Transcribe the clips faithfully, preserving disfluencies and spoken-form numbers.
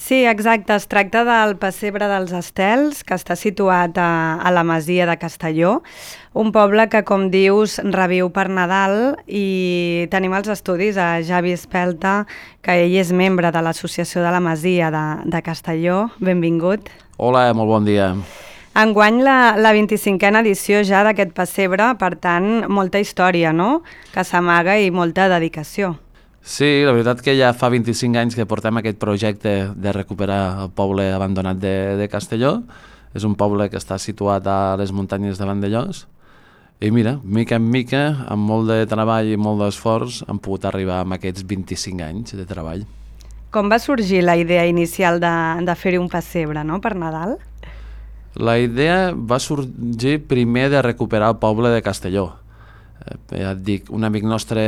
Sí, exacte. Es tracta del pessebre dels Estels, que està situat a, a la masia de Castelló, un poble que, com dius, reviu per Nadal, i tenim els estudis a Javi Espelta, que ell és membre de l'Associació de la Masia de, de Castelló. Benvingut. Hola, molt bon dia. Enguany la, la vint-i-cinquena edició ja d'aquest pessebre, per tant, molta història, no?, que s'amaga i molta dedicació. Sí, la veritat que ja fa vint-i-cinc anys que portem aquest projecte de recuperar el poble abandonat de, de Castelló. És un poble que està situat a les muntanyes de Vandellòs. I mira, mica en mica, amb molt de treball i molt d'esforç, hem pogut arribar amb aquests vint-i-cinc anys de treball. Com va sorgir la idea inicial de, de fer-hi un pessebre, no?, per Nadal? La idea va sorgir primer de recuperar el poble de Castelló. Ja et dic, un amic nostre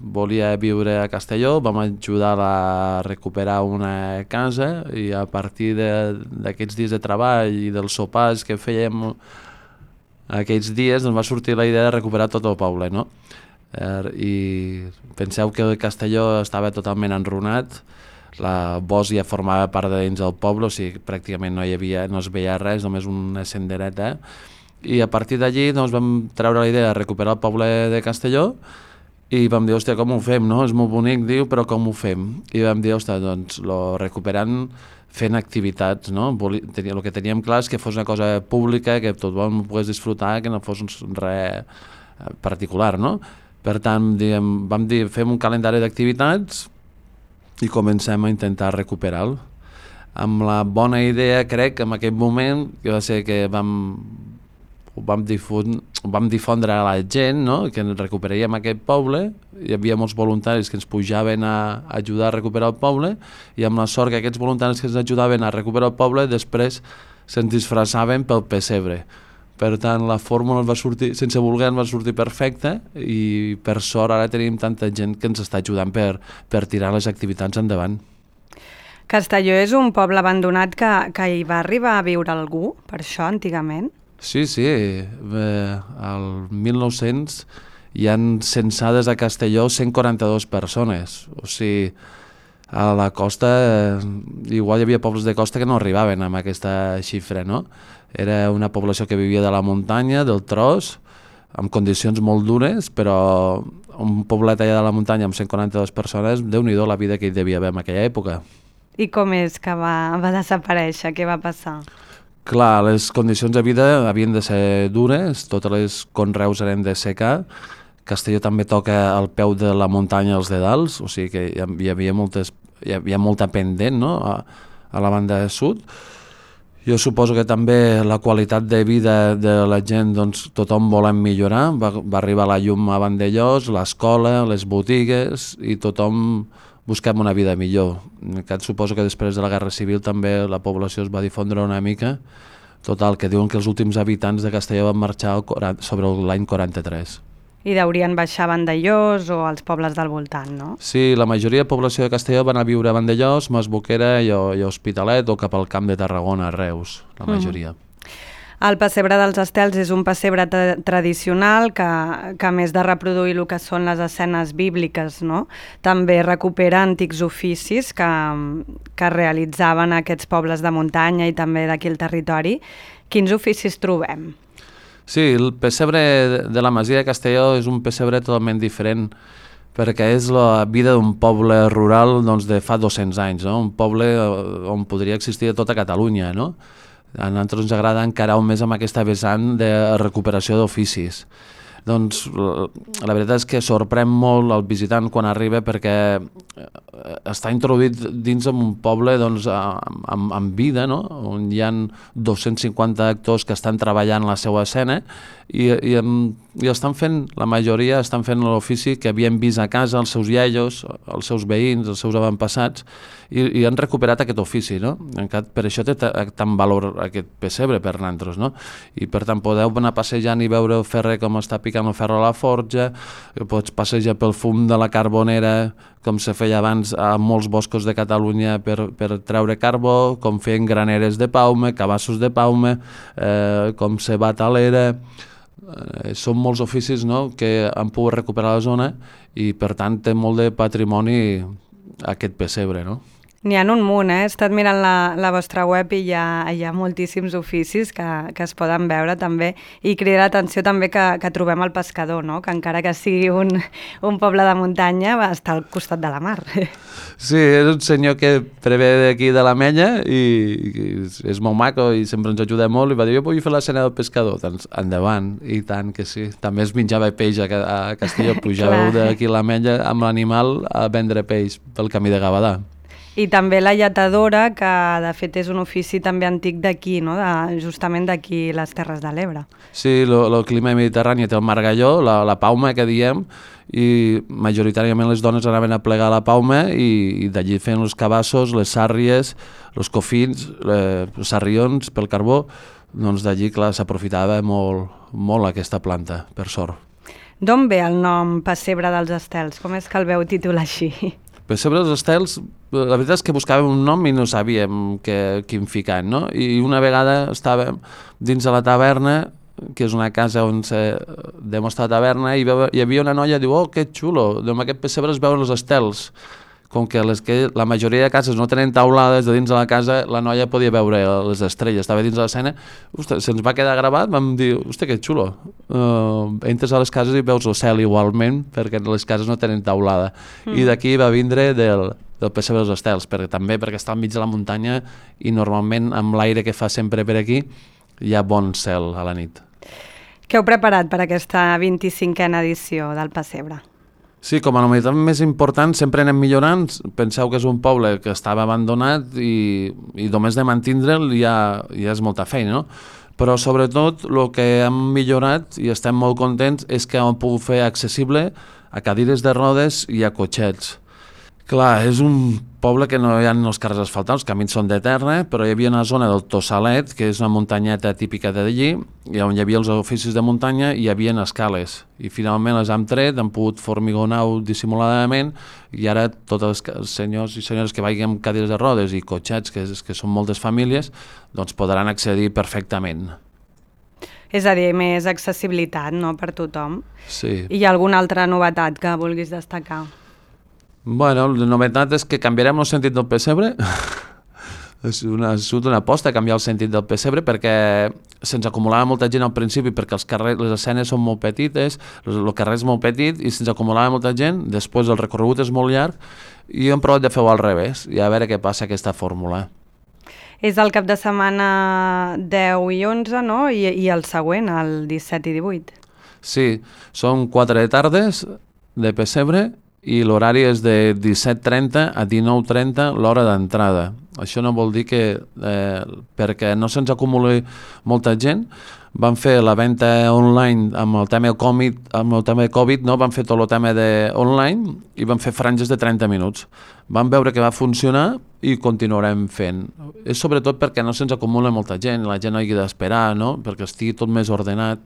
volia viure a Castelló, vam ajudar a recuperar una casa i a partir d'aquests dies de treball i dels sopars que fèiem aquells dies doncs va sortir la idea de recuperar tot el poble, no? I penseu que Castelló estava totalment enrunat, la Bos ja formava part de dins del poble, o sigui, pràcticament no hi havia, no es veia res, només una sendereta. I a partir d'allí doncs, vam treure la idea de recuperar el poble de Castelló i vam dir, hòstia, com ho fem, no? És molt bonic, diu, però com ho fem? I vam dir, hòstia, doncs, lo recuperant fent activitats, no? El que teníem clar és que fos una cosa pública, que tothom pogués disfrutar, que no fos res particular, no? Per tant, diguem, vam dir, fem un calendari d'activitats i comencem a intentar recuperar-lo. Amb la bona idea, crec, en aquell moment, que va ser que vam... ho vam difondre, ho vam difondre a la gent, no?, que recuperaríem aquest poble. Hi havia molts voluntaris que ens pujaven a ajudar a recuperar el poble i amb la sort que aquests voluntaris que ens ajudaven a recuperar el poble després se'ns disfressaven pel pessebre. Per tant, la fórmula va sortir, sense voler, va sortir perfecta i per sort ara tenim tanta gent que ens està ajudant per, per tirar les activitats endavant. Castelló és un poble abandonat que, que hi va arribar a viure algú, per això, antigament? Sí, sí, eh, al mil nou-cents hi han censades a Castelló cent quaranta-dues persones, o sigui, a la costa, eh, igual hi havia pobles de costa que no arribaven amb aquesta xifra, no? Era una població que vivia de la muntanya, del tros, amb condicions molt dures, però un poblet allà de la muntanya amb cent quaranta-dues persones, Déu-n'hi-do la vida que hi devia haver en aquella època. I com és que va, va desaparèixer? Què va passar? Clar, les condicions de vida havien de ser dures, totes les conreus eren de secà, Castelló també toca al peu de la muntanya als Dedals, o sigui que hi havia, moltes, hi havia molta pendent, no?, a, a la banda de sud. Jo suposo que també la qualitat de vida de la gent, doncs tothom volem millorar, va, va arribar la llum a Vandellòs, l'escola, les botigues i tothom busquem una vida millor. Suposo que després de la Guerra Civil també la població es va difondre una mica. Total, que diuen que els últims habitants de Castelló van marxar sobre l'any quaranta-tres. I deurien baixar a Vandellòs o als pobles del voltant, no? Sí, la majoria de població de Castelló van a viure a Vandellòs, Masboquera i a Hospitalet o cap al Camp de Tarragona, a Reus, la majoria. Mm. El pessebre dels Estels és un pessebre tra tradicional que, que a més de reproduir el que són les escenes bíbliques, no?, també recupera antics oficis que, que realitzaven aquests pobles de muntanya i també d'aquí el territori. Quins oficis trobem? Sí, el pessebre de la Masia de Castelló és un pessebre totalment diferent perquè és la vida d'un poble rural doncs, de fa dos-cents anys, no? Un poble on podria existir a tota Catalunya, no? A nosaltres ens agrada encarar més amb aquesta vessant de recuperació d'oficis. Doncs la veritat és que sorprèn molt el visitant quan arriba perquè està introduït dins d'un poble doncs, amb, amb vida, no?, on hi ha dos-cents cinquanta actors que estan treballant la seva escena i, i, i estan fent, la majoria estan fent l'ofici que havien vist a casa els seus iaios, els seus veïns, els seus avantpassats i, i han recuperat aquest ofici, no? Per això té tant valor aquest pessebre per nosaltres, no? I per tant podeu anar passejant i veure el ferrer com està picant el ferro a la forja, pots passejar pel fum de la carbonera com se feia abans a molts boscos de Catalunya per, per treure carbó, com feien graneres de paume, cabassos de paume, eh, com se bat a l'era. Eh, són molts oficis, no?, que han pogut recuperar la zona i per tant té molt de patrimoni aquest pessebre, no? N'hi ha un munt, eh? He estat mirant la, la vostra web i hi ha, hi ha moltíssims oficis que, que es poden veure també, i crida l'atenció també que, que trobem el pescador, no? Que encara que sigui un, un poble de muntanya va estar al costat de la mar. Sí, és un senyor que prevé d'aquí de l'Ametlla i, i és molt maco i sempre ens ajuda molt, i va dir, jo vull fer l'escena del pescador. Doncs endavant, i tant que sí. També es menjava peix a, a Castelló, pujàveu d'aquí a l'Ametlla amb l'animal a vendre peix pel camí de Gavadà. I també la lletadora, que de fet és un ofici també antic d'aquí, no? De, justament d'aquí, les Terres de l'Ebre. Sí, el clima mediterrani té el margalló, la, la pauma que diem, i majoritàriament les dones anaven a plegar la pauma i, i d'allí feien els cabassos, les sàrries, els cofins, les, els sarrions pel carbó, doncs d'allí, clar, s'aprofitava molt, molt aquesta planta, per sort. D'on ve el nom Pessebre dels Estels? Com és que el veu titular així? Pessebre dels Estels, la veritat és que buscàvem un nom i no sabíem que, quin ficar, no? I una vegada estàvem dins de la taverna, que és una casa on se demostra taverna, i hi havia una noia que diu, oh, que xulo, amb aquest pessebre es veuen els estels. Com que, les que la majoria de cases no tenen taulades de dins de la casa, la noia podia veure les estrelles, estava dins de l'escena, se'ns va quedar gravat, vam dir, hosti, que xulo, uh, entres a les cases i veus el cel igualment, perquè les cases no tenen taulada, mm. i d'aquí va vindre del, del pessebre dels estels, perquè, també perquè està al mig de la muntanya i normalment amb l'aire que fa sempre per aquí hi ha bon cel a la nit. Què heu preparat per aquesta vint-i-cinquena edició del Pessebre? Sí, com a novetat més important sempre anem millorant. Penseu que és un poble que estava abandonat i, i només de mantindre'l ja, ja és molta feina, no? Però sobretot el que hem millorat i estem molt contents és que hem pogut fer accessible a cadires de rodes i a cotxets. Clar, és un poble que no hi ha els carrers asfaltats, els camins són de terra, però hi havia una zona del Tossalet, que és una muntanyeta típica d'allí, i on hi havia els oficis de muntanya i hi havia escales. I finalment les hem tret, han pogut formigonar-ho dissimuladament, i ara tots els senyors i senyores que vagin amb cadires de rodes i cotxets, que, és, que són moltes famílies, doncs podran accedir perfectament. És a dir, més accessibilitat, no?, per tothom. Sí. I hi ha alguna altra novetat que vulguis destacar? Bueno, la novetat és que canviarem el sentit del pessebre. És una, ha sigut una aposta canviar el sentit del pessebre perquè se'ns acumulava molta gent al principi perquè els carrers, les escenes són molt petites, el carrer és molt petit i se'ns acumulava molta gent, després el recorregut és molt llarg i hem provat de fer-ho al revés i a veure què passa aquesta fórmula. És el cap de setmana deu i onze, no? I, i el següent, el disset i divuit. Sí, són quatre tardes de pessebre i l'horari és de disset trenta a dinou trenta l'hora d'entrada. Això no vol dir que, eh, perquè no se'ns acumuli molta gent, van fer la venda online amb el tema Covid, amb el tema Covid, no? Van fer tot el tema de online i van fer franges de trenta minuts. Vam veure que va funcionar i continuarem fent. És sobretot perquè no se'ns acumula molta gent, la gent no hagi d'esperar, no? Perquè estigui tot més ordenat.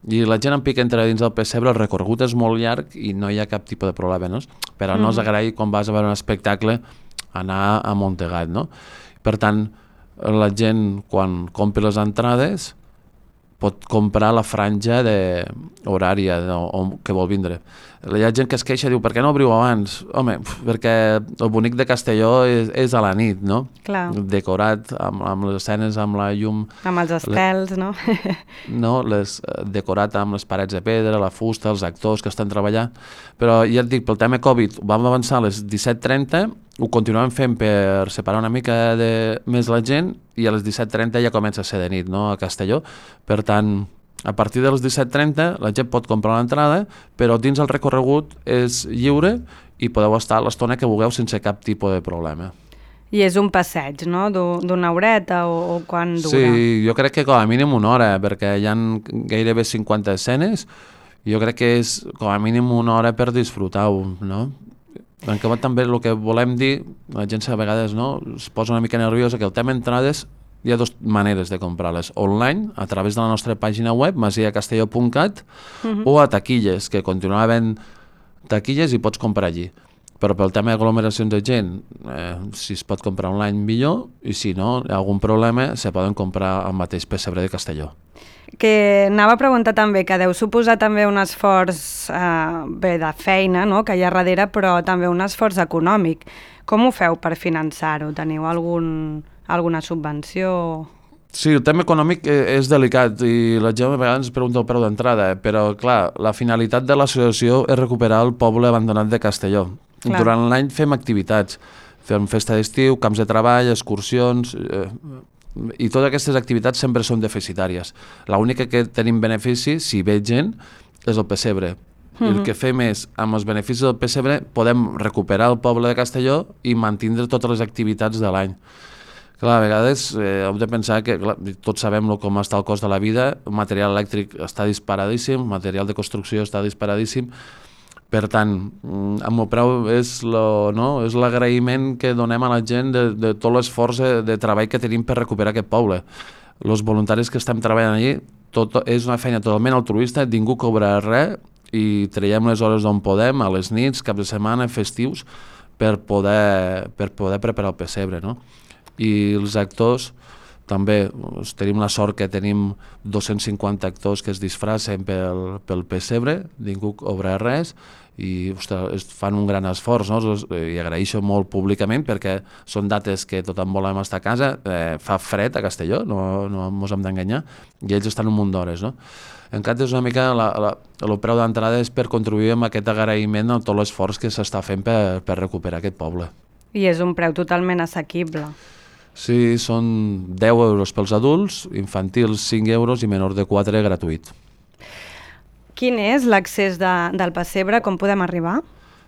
I la gent en pica entre dins del pessebre, el recorregut és molt llarg i no hi ha cap tipus de problema, no? Però no és agrair quan vas a veure un espectacle anar a Montegat, no? Per tant, la gent quan compri les entrades pot comprar la franja de horària no? o que vol vindre. Hi ha gent que es queixa i diu, per què no obriu abans? Home, perquè el bonic de Castelló és, és a la nit, no? Clar. Decorat amb, amb les escenes, amb la llum... Amb els estels, le... no? no, les, decorat amb les parets de pedra, la fusta, els actors que estan treballant. Però ja et dic, pel tema Covid, vam avançar a les disset trenta, ho continuem fent per separar una mica de més la gent i a les disset trenta ja comença a ser de nit, no?, a Castelló. Per tant, a partir de les disset trenta la gent pot comprar l'entrada, però dins el recorregut és lliure i podeu estar l'estona que vulgueu sense cap tipus de problema. I és un passeig, no?, d'una horeta o, o quan dura? Sí, jo crec que com a mínim una hora, perquè hi ha gairebé cinquanta escenes, jo crec que és com a mínim una hora per disfrutar-ho, no? En acabat també el que volem dir, la gent a vegades no, es posa una mica nerviosa, que el tema entrades hi ha dues maneres de comprar-les, online, a través de la nostra pàgina web, masia castelló punt cat, uh-huh. o a taquilles, que continuava havent taquilles i pots comprar allí. Però pel tema d'aglomeracions de gent, eh, si es pot comprar online millor, i si no, hi ha algun problema, se poden comprar al mateix pessebre de Castelló. que anava a preguntar també, que deu suposar també un esforç eh, bé de feina, no?, que hi ha darrere, però també un esforç econòmic. Com ho feu per finançar-ho? Teniu algun, alguna subvenció? Sí, el tema econòmic és delicat i la gent a vegades pregunta el preu d'entrada, però clar, la finalitat de l'associació és recuperar el poble abandonat de Castelló. Clar. Durant l'any fem activitats, fem festa d'estiu, camps de treball, excursions, eh, i totes aquestes activitats sempre són deficitàries. L'única que tenim benefici, si ve gent, és el pessebre. Mm-hmm. El que fem és, amb els beneficis del pessebre, podem recuperar el poble de Castelló i mantindre totes les activitats de l'any. Clar, a vegades eh, heu de pensar que clar, tots sabem com està el cost de la vida, el material elèctric està disparadíssim, el material de construcció està disparadíssim, per tant, amb el preu és l'agraïment no? que donem a la gent de, de tot l'esforç de, de treball que tenim per recuperar aquest poble. Els voluntaris que estem treballant allí, tot, és una feina totalment altruista, ningú cobra res i traiem les hores d'on podem, a les nits, cap de setmana, festius, per poder, per poder preparar el pessebre, no? I els actors també tenim la sort que tenim dos-cents cinquanta actors que es disfracen pel, pel pessebre, ningú cobra res i ostres, fan un gran esforç, no? I agraeixo molt públicament perquè són dates que tothom volem estar a casa, eh, fa fred a Castelló, no, no ens hem d'enganyar, i ells estan un munt d'hores, no? Encara és una mica, la, la, el preu d'entrada és per contribuir amb aquest agraïment a tot l'esforç que s'està fent per, per recuperar aquest poble. I és un preu totalment assequible. Sí, són deu euros pels adults, infantils cinc euros i menors de quatre gratuït. Quin és l'accés de, del pessebre? Com podem arribar?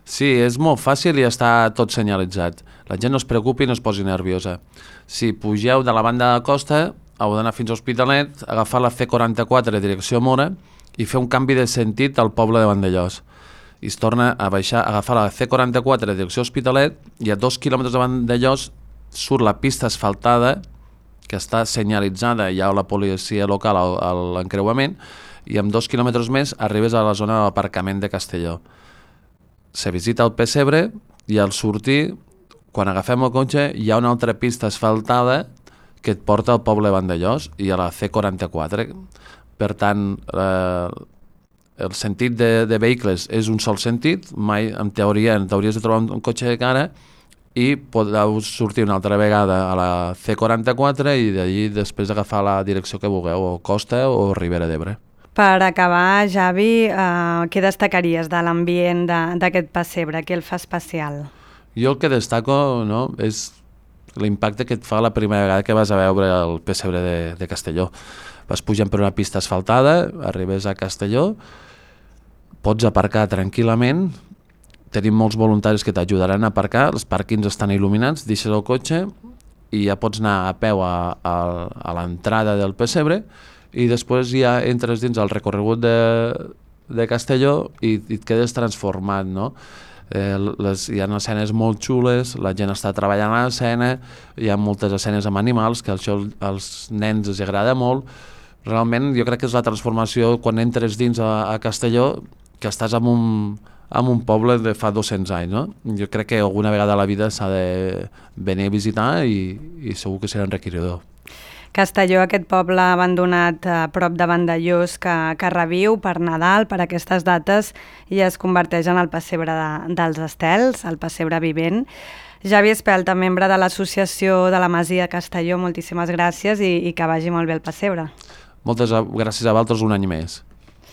Sí, és molt fàcil i està tot senyalitzat. La gent no es preocupi i no es posi nerviosa. Si pugeu de la banda de costa, heu d'anar fins a Hospitalet, agafar la C quaranta-quatre direcció Mora i fer un canvi de sentit al poble de Vandellós. I es torna a baixar, a agafar la C quaranta-quatre direcció Hospitalet i a dos quilòmetres de Vandellós surt la pista asfaltada que està senyalitzada, hi ha la policia local a l'encreuament i amb dos quilòmetres més arribes a la zona de l'aparcament de Castelló. Se visita el pessebre i al sortir, quan agafem el cotxe, hi ha una altra pista asfaltada que et porta al poble de Vandellós i a la C quaranta-quatre. Per tant, eh, el sentit de, de vehicles és un sol sentit, mai en teoria t'hauries de trobar un, un cotxe de cara i podeu sortir una altra vegada a la C quaranta-quatre i d'allí després agafar la direcció que vulgueu, o Costa o Ribera d'Ebre. Per acabar, Javi, eh, què destacaries de l'ambient d'aquest pessebre? Què el fa especial? Jo el que destaco, no, és l'impacte que et fa la primera vegada que vas a veure el pessebre de, de Castelló. Vas pujant per una pista asfaltada, arribes a Castelló, pots aparcar tranquil·lament, tenim molts voluntaris que t'ajudaran a aparcar, els pàrquings estan il·luminats, deixes el cotxe i ja pots anar a peu a, a, a l'entrada del pessebre i després ja entres dins el recorregut de, de Castelló i, i et quedes transformat, no? Eh, les, hi ha escenes molt xules, la gent està treballant a l'escena, hi ha moltes escenes amb animals que això als nens els agrada molt. Realment jo crec que és la transformació quan entres dins a, a Castelló, que estàs en un, en un poble de fa dos-cents anys, no? Jo crec que alguna vegada a la vida s'ha de venir a visitar i, i segur que serà enriquidor. Castelló, aquest poble abandonat a prop de Vandellós que, que reviu per Nadal, per aquestes dates, i es converteix en el pessebre de, dels estels, el pessebre vivent. Javi Espelta, membre de l'Associació de la Masia Castelló, moltíssimes gràcies i, i que vagi molt bé el pessebre. Moltes gràcies a vosaltres un any més.